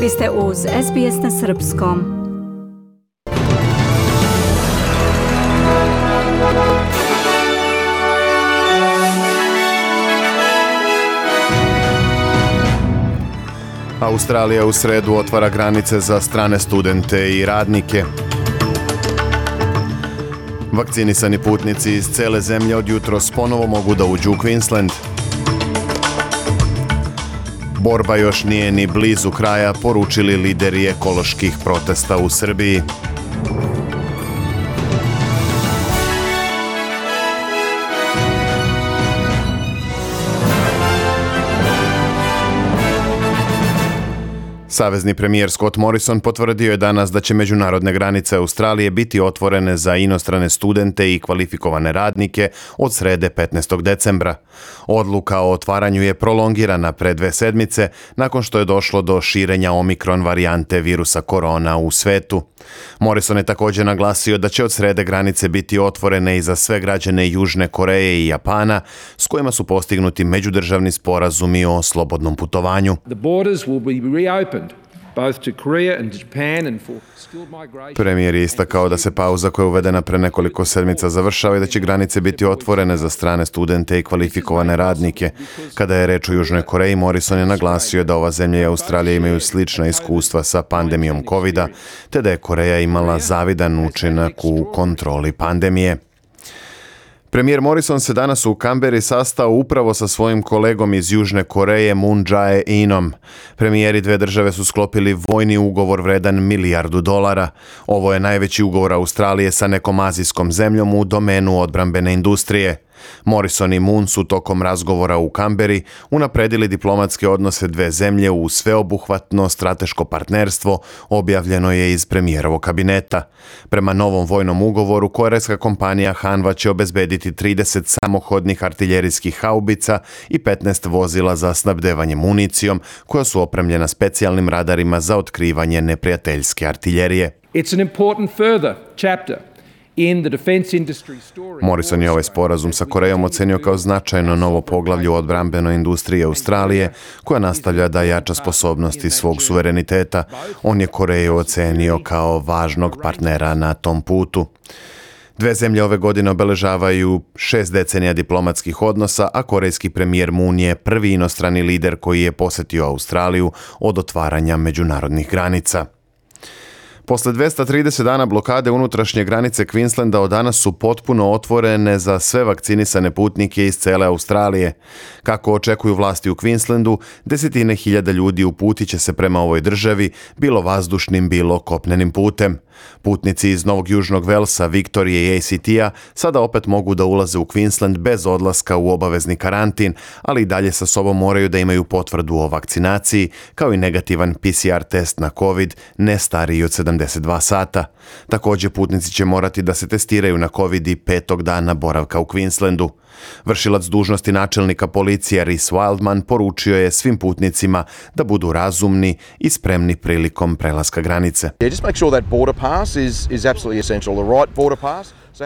Vi ste uz SBS na srpskom. Australija u sredu otvara granice za strane studente i radnike. Vakcinisani putnici iz cele zemlje od jutros ponovo mogu da uđu u Queensland. Borba još nije ni blizu kraja, poručili lideri ekoloških protesta u Srbiji. Savezni premijer Scott Morrison potvrdio je danas da će međunarodne granice Australije biti otvorene za inostrane studente i kvalifikovane radnike od srede 15. decembra. Odluka o otvaranju je prolongirana pre 2 sedmice nakon što je došlo do širenja omikron varijante virusa korona u svetu. Morrison je također naglasio da će od srede granice biti otvorene i za sve građane Južne Koreje i Japana s kojima su postignuti međudržavni sporazumi o slobodnom putovanju. Premijer je istakao da se pauza koja je uvedena pre nekoliko sedmica završava i da će granice biti otvorene za strane studente i kvalifikovane radnike. Kada je reč o Južnoj Koreji, Morrison je naglasio da ova zemlja i Australija imaju slična iskustva sa pandemijom COVID-a, te da je Koreja imala zavidan učinak u kontroli pandemije. Premijer Morrison se danas u Kamberi sastao upravo sa svojim kolegom iz Južne Koreje Moon Jae-inom. Premijeri dve države su sklopili vojni ugovor vredan $1 milijardu. Ovo je najveći ugovor Australije sa nekom azijskom zemljom u domenu odbrambene industrije. Morrison i Moon su tokom razgovora u Kamberi unapredili diplomatske odnose dve zemlje u sveobuhvatno strateško partnerstvo, objavljeno je iz premijerovog kabineta. Prema novom vojnom ugovoru, korejska kompanija Hanwha će obezbediti 30 samohodnih artiljerijskih haubica i 15 vozila za snabdevanje municijom, koja su opremljena specijalnim radarima za otkrivanje neprijateljske artiljerije. It's an important further chapter. Morrison je ovaj sporazum sa Korejom ocenio kao značajno novo poglavlje u odbrambenoj industriji Australije, koja nastavlja da jača sposobnosti svog suvereniteta. On je Koreju ocenio kao važnog partnera na tom putu. Dve zemlje ove godine obeležavaju 6 decenija diplomatskih odnosa, a korejski premijer Moon je prvi inostrani lider koji je posetio Australiju od otvaranja međunarodnih granica. Posle 230 dana blokade unutrašnje granice Queenslanda od danas su potpuno otvorene za sve vakcinisane putnike iz cele Australije. Kako očekuju vlasti u Queenslandu, desetine hiljada ljudi uputit će se prema ovoj državi, bilo vazdušnim, bilo kopnenim putem. Putnici iz Novog Južnog Velsa, Viktorije i ACT-a sada opet mogu da ulaze u Queensland bez odlaska u obavezni karantin, ali i dalje sa sobom moraju da imaju potvrdu o vakcinaciji, kao i negativan PCR test na COVID, ne stariji od 72 sata. Također putnici će morati da se testiraju na COVID i 5. dana boravka u Queenslandu. Vršilac dužnosti načelnika policije Rhys Wildman poručio je svim putnicima da budu razumni i spremni prilikom prelaska granice.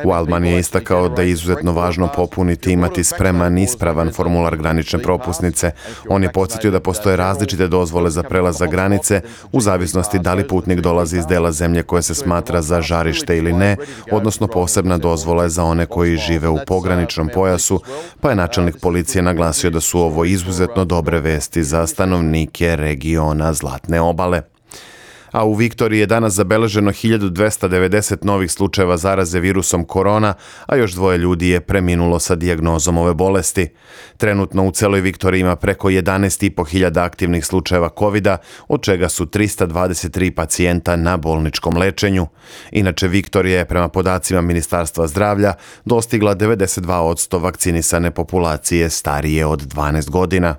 Wildman je istakao da je izuzetno važno popuniti i imati spreman i ispravan formular granične propusnice. On je podsjetio da postoje različite dozvole za prelazak granice u zavisnosti da li putnik dolazi iz dela zemlje koje se smatra za žarište ili ne, odnosno posebna dozvola je za one koji žive u pograničnom pojasu, pa je načelnik policije naglasio da su ovo izuzetno dobre vesti za stanovnike regiona Zlatne obale. A u Viktoriji je danas zabeleženo 1290 novih slučajeva zaraze virusom korona, a još 2 ljudi je preminulo sa dijagnozom ove bolesti. Trenutno u celoj Viktoriji ima preko 11.500 aktivnih slučajeva COVID-a, od čega su 323 pacijenta na bolničkom lečenju. Inače, Viktorija je prema podacima Ministarstva zdravlja dostigla 92% vakcinisane populacije starije od 12 godina.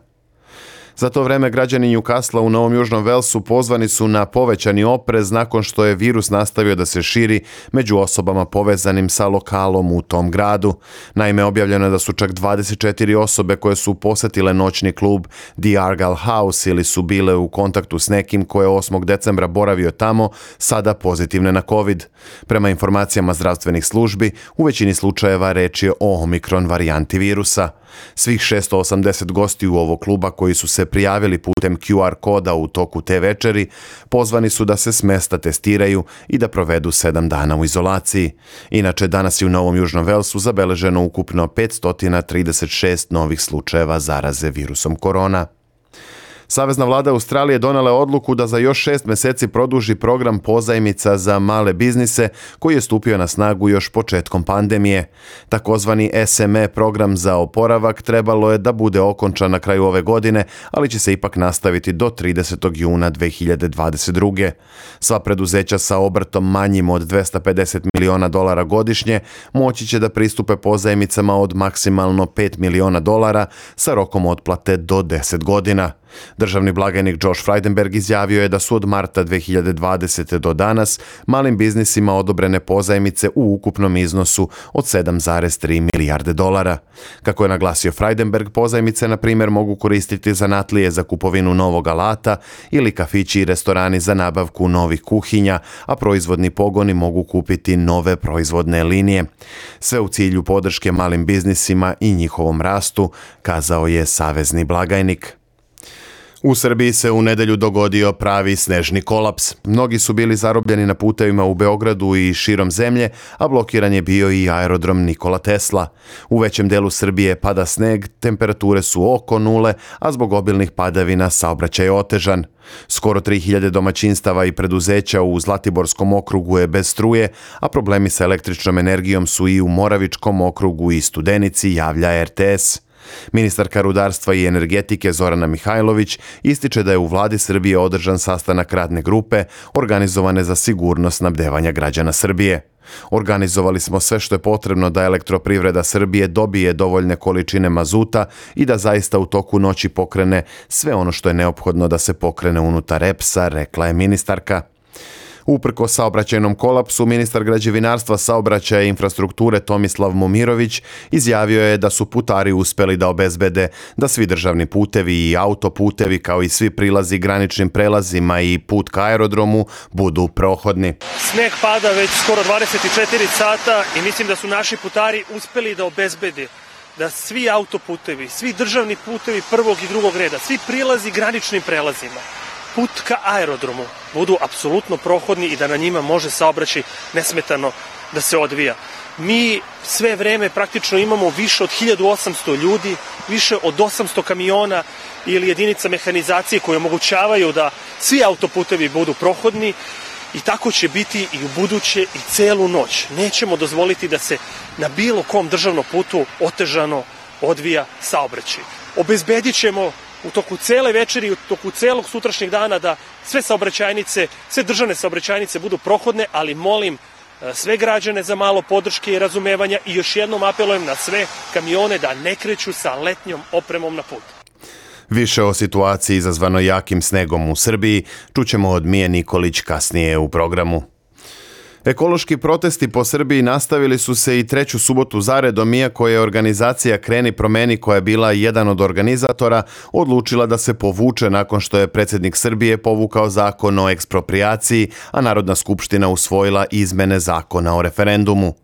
Za to vreme građani Newcastle u Novom Južnom Velsu pozvani su na povećani oprez nakon što je virus nastavio da se širi među osobama povezanim sa lokalom u tom gradu. Naime, objavljeno je da su čak 24 osobe koje su posetile noćni klub The Argyle House ili su bile u kontaktu s nekim ko je 8. decembra boravio tamo, sada pozitivne na COVID. Prema informacijama zdravstvenih službi, u većini slučajeva reč je o omikron varijanti virusa. Svih 680 gostiju ovog kluba koji su se prijavili putem QR koda u toku te večeri pozvani su da se s mesta testiraju i da provedu 7 dana u izolaciji. Inače, danas je u Novom Južnom Velsu zabeleženo ukupno 536 novih slučajeva zaraze virusom korona. Savezna vlada Australije donela je odluku da za još 6 meseci produži program pozajmica za male biznise koji je stupio na snagu još početkom pandemije. Takozvani SME program za oporavak trebalo je da bude okončan na kraju ove godine, ali će se ipak nastaviti do 30. juna 2022. Sva preduzeća sa obrtom manjim od $250 miliona godišnje moći će da pristupe pozajmicama od maksimalno $5 miliona sa rokom otplate do 10 godina. Državni blagajnik Josh Frydenberg izjavio je da su od marta 2020. do danas malim biznisima odobrene pozajmice u ukupnom iznosu od $7,3 milijarde. Kako je naglasio Frydenberg, pozajmice na primjer mogu koristiti zanatlije za kupovinu novog alata ili kafići i restorani za nabavku novih kuhinja, a proizvodni pogoni mogu kupiti nove proizvodne linije. Sve u cilju podrške malim biznisima i njihovom rastu, kazao je savezni blagajnik. U Srbiji se u nedelju dogodio pravi snežni kolaps. Mnogi su bili zarobljeni na putevima u Beogradu i širom zemlje, a blokiran je bio i aerodrom Nikola Tesla. U većem delu Srbije pada sneg, temperature su oko nule, a zbog obilnih padavina saobraćaj je otežan. Skoro 3000 domaćinstava i preduzeća u Zlatiborskom okrugu je bez struje, a problemi sa električnom energijom su i u Moravičkom okrugu i Studenici, javlja RTS. Ministarka rudarstva i energetike Zorana Mihajlović ističe da je u vladi Srbije održan sastanak radne grupe organizovane za sigurnost snabdevanja građana Srbije. Organizovali smo sve što je potrebno da Elektroprivreda Srbije dobije dovoljne količine mazuta i da zaista u toku noći pokrene sve ono što je neophodno da se pokrene unutar EPS-a, rekla je ministarka. Uprkos saobraćajnom kolapsu, ministar građevinarstva, saobraćaja i infrastrukture Tomislav Momirović izjavio je da su putari uspeli da obezbede da svi državni putevi i autoputevi kao i svi prilazi graničnim prelazima i put ka aerodromu budu prohodni. Sneg pada već skoro 24 sata i mislim da su naši putari uspeli da obezbede da svi autoputevi, svi državni putevi prvog i drugog reda, svi prilazi graničnim prelazima, put ka aerodromu budu apsolutno prohodni i da na njima može saobraćaj nesmetano da se odvija. Mi sve vreme praktično imamo više od 1800 ljudi, više od 800 kamiona ili jedinica mehanizacije koje omogućavaju da svi autoputevi budu prohodni i tako će biti i u buduće i celu noć. Nećemo dozvoliti da se na bilo kom državnom putu otežano odvija saobraćaj. Obezbedit ćemo u toku cele večeri, u toku celog sutrašnjeg dana da sve saobraćajnice, sve državne saobraćajnice budu prohodne, ali molim sve građane za malo podrške i razumevanja i još jednom apelujem na sve kamione da ne kreću sa letnjom opremom na put. Više o situaciji izazvano jakim snegom u Srbiji čućemo od Mije Nikolić kasnije u programu. Ekološki protesti po Srbiji nastavili su se i treću subotu zaredom, iako je organizacija Kreni promeni, koja je bila jedan od organizatora, odlučila da se povuče nakon što je predsjednik Srbije povukao zakon o eksproprijaciji, a Narodna skupština usvojila izmene zakona o referendumu.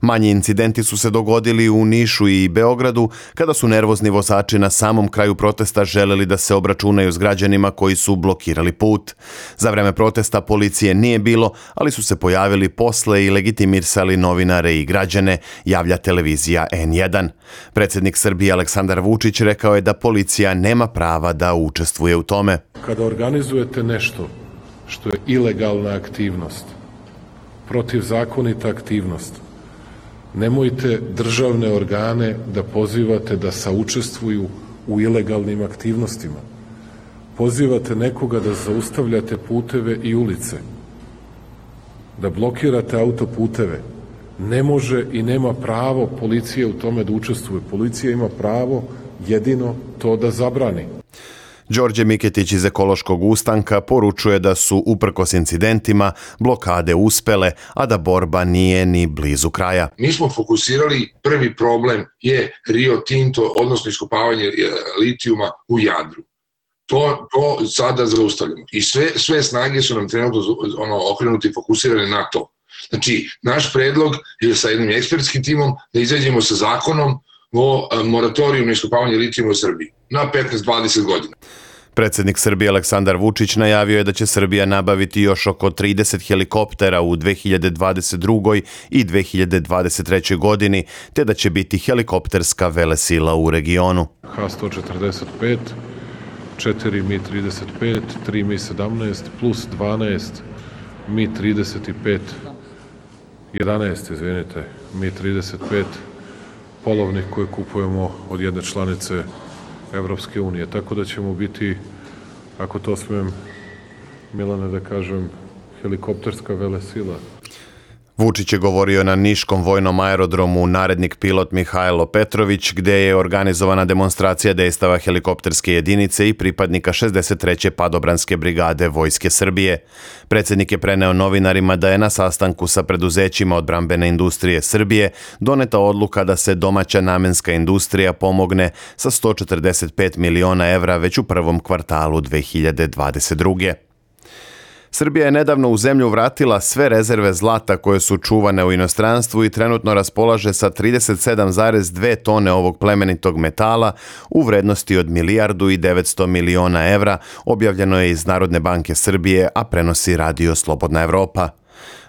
Manji incidenti su se dogodili u Nišu i Beogradu kada su nervozni vozači na samom kraju protesta želeli da se obračunaju s građanima koji su blokirali put. Za vreme protesta policije nije bilo, ali su se pojavili posle i legitimisali novinare i građane, javlja televizija N1. Predsjednik Srbije Aleksandar Vučić rekao je da policija nema prava da učestvuje u tome. Kada organizujete nešto što je ilegalna aktivnost, protivzakonita aktivnost, nemojte državne organe da pozivate da saučestvuju u ilegalnim aktivnostima. Pozivate nekoga da zaustavljate puteve i ulice, da blokirate autoputeve. Ne može i nema pravo policija u tome da učestvuje. Policija ima pravo jedino to da zabrani. Đorđe Miketić iz Ekološkog ustanka poručuje da su uprkos incidentima blokade uspele, a da borba nije ni blizu kraja. Mi smo fokusirali, prvi problem je Rio Tinto, odnosno iskopavanje litijuma u Jadru. To sada zaustavljamo. I sve snage su nam trenutno okrenuti i fokusirane na to. Znači, naš predlog je sa jednim ekspertskim timom da izađemo sa zakonom moratorijum na iskopavanje litijuma u Srbiji na 15-20 godina. Predsjednik Srbije Aleksandar Vučić najavio je da će Srbija nabaviti još oko 30 helikoptera u 2022. i 2023. godini, te da će biti helikopterska velesila u regionu. H-145, 4 Mi-35, 3 Mi-17 plus 12 Mi-35, 11, Mi-35 polovnih koje kupujemo od jedne članice Evropske unije. Tako da ćemo biti, ako to smijem, Milane, da kažem, helikopterska velesila. Vučić je govorio na Niškom vojnom aerodromu narednik pilot Mihajlo Petrović, gde je organizovana demonstracija dejstava helikopterske jedinice i pripadnika 63. padobranske brigade Vojske Srbije. Predsjednik je preneo novinarima da je na sastanku sa preduzećima odbrambene industrije Srbije doneta odluka da se domaća namenska industrija pomogne sa 145 miliona evra već u prvom kvartalu 2022. Srbija je nedavno u zemlju vratila sve rezerve zlata koje su čuvane u inostranstvu i trenutno raspolaže sa 37,2 tone ovog plemenitog metala u vrednosti od 1,9 milijardi evra, objavljeno je iz Narodne banke Srbije, a prenosi Radio Slobodna Evropa.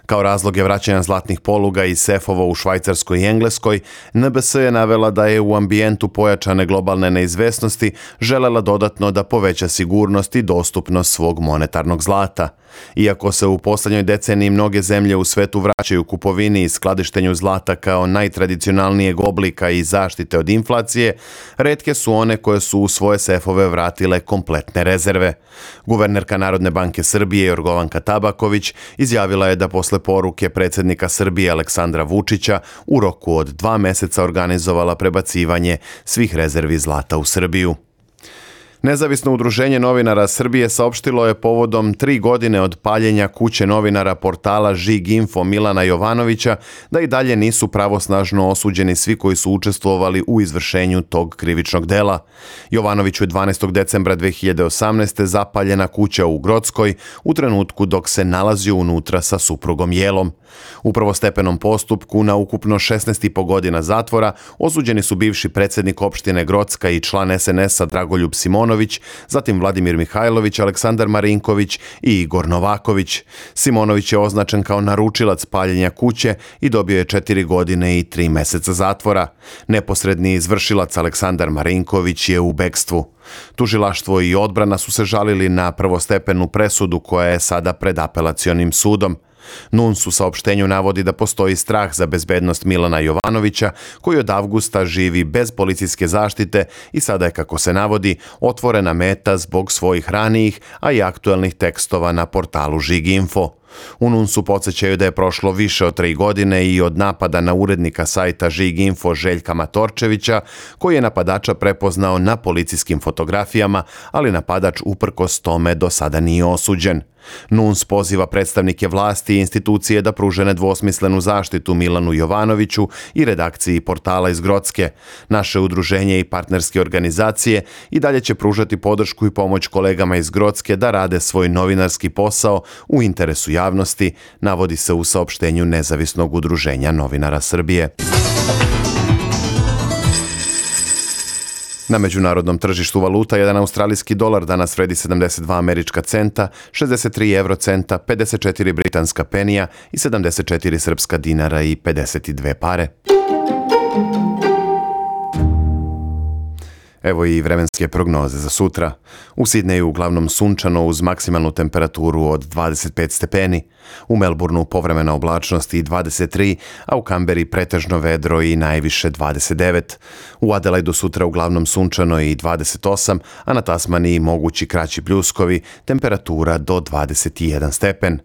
Kao razlog je vraćanja zlatnih poluga i sefova u Švajcarskoj i Engleskoj, NBS je navela da je u ambijentu pojačane globalne neizvesnosti želela dodatno da poveća sigurnost i dostupnost svog monetarnog zlata. Iako se u posljednjoj deceniji mnoge zemlje u svetu vraćaju kupovini i skladištenju zlata kao najtradicionalnijeg oblika i zaštite od inflacije, retke su one koje su u svoje sefove vratile kompletne rezerve. Guvernerka Narodne banke Srbije Jorgovanka Tabaković izjavila je da posle poruke predsjednika Srbije Aleksandra Vučića u roku od 2 meseca organizovala prebacivanje svih rezervi zlata u Srbiju. Nezavisno udruženje novinara Srbije saopštilo je povodom 3 godine od paljenja kuće novinara portala Žig.info Milana Jovanovića da i dalje nisu pravosnažno osuđeni svi koji su učestvovali u izvršenju tog krivičnog dela. Jovanoviću je 12. decembra 2018. zapaljena kuća u Grockoj u trenutku dok se nalazio unutra sa suprugom Jelom. U prvostepenom postupku na ukupno 16,5 godina zatvora osuđeni su bivši predsjednik opštine Grocka i član SNS-a Dragoljub Simonović, zatim Vladimir Mihajlović, Aleksandar Marinković i Igor Novaković. Simonović je označen kao naručilac paljenja kuće i dobio je 4 godine i 3 meseca zatvora. Neposredni izvršilac Aleksandar Marinković je u bekstvu. Tužilaštvo i odbrana su se žalili na prvostepenu presudu koja je sada pred apelacionim sudom. NUNS u saopštenju navodi da postoji strah za bezbednost Milana Jovanovića, koji od avgusta živi bez policijske zaštite i sada je, kako se navodi, otvorena meta zbog svojih ranijih, a i aktuelnih tekstova na portalu Žig.info. U NUNS-u podsjećaju da je prošlo više od 3 godine i od napada na urednika sajta Žig.info Željka Matorčevića, koji je napadača prepoznao na policijskim fotografijama, ali napadač uprkos tome do sada nije osuđen. NUNS poziva predstavnike vlasti i institucije da pruže nedvosmislenu zaštitu Milanu Jovanoviću i redakciji portala iz Grocke. Naše udruženje i partnerske organizacije i dalje će pružati podršku i pomoć kolegama iz Grocke da rade svoj novinarski posao u interesu javnosti, navodi se u saopštenju Nezavisnog udruženja novinara Srbije. Na međunarodnom tržištu valuta jedan australijski dolar danas vredi 72 američka centa, 63 eurocenta, 54 britanska penija i 74 srpska dinara i 52 pare. Evo i vremenske prognoze za sutra. U Sidneju uglavnom sunčano uz maksimalnu temperaturu od 25 stepeni. U Melbourneu povremena oblačnost i 23, a u Kamberi pretežno vedro i najviše 29. U Adelaidu sutra uglavnom sunčano i 28, a na Tasmaniji mogući kraći pljuskovi, temperatura do 21 stepen.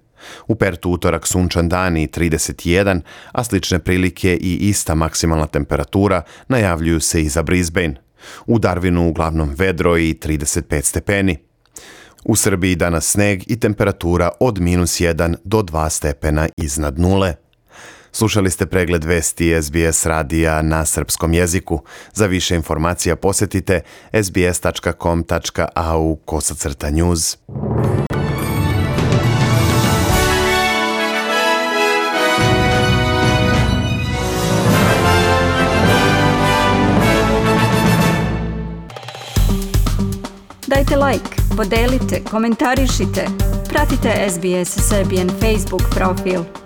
U Pertu utorak sunčan dan i 31, a slične prilike i ista maksimalna temperatura najavljuju se i za Brisbane. U Darwinu uglavnom vedro i 35 stepeni. U Srbiji danas sneg i temperatura od -1 do 2 stepena iznad nule. Slušali ste pregled vesti SBS radija na srpskom jeziku. Za više informacija posjetite sbs.com.au/news. like, podelite, komentarišite. Pratite SBS Serbian Facebook profil.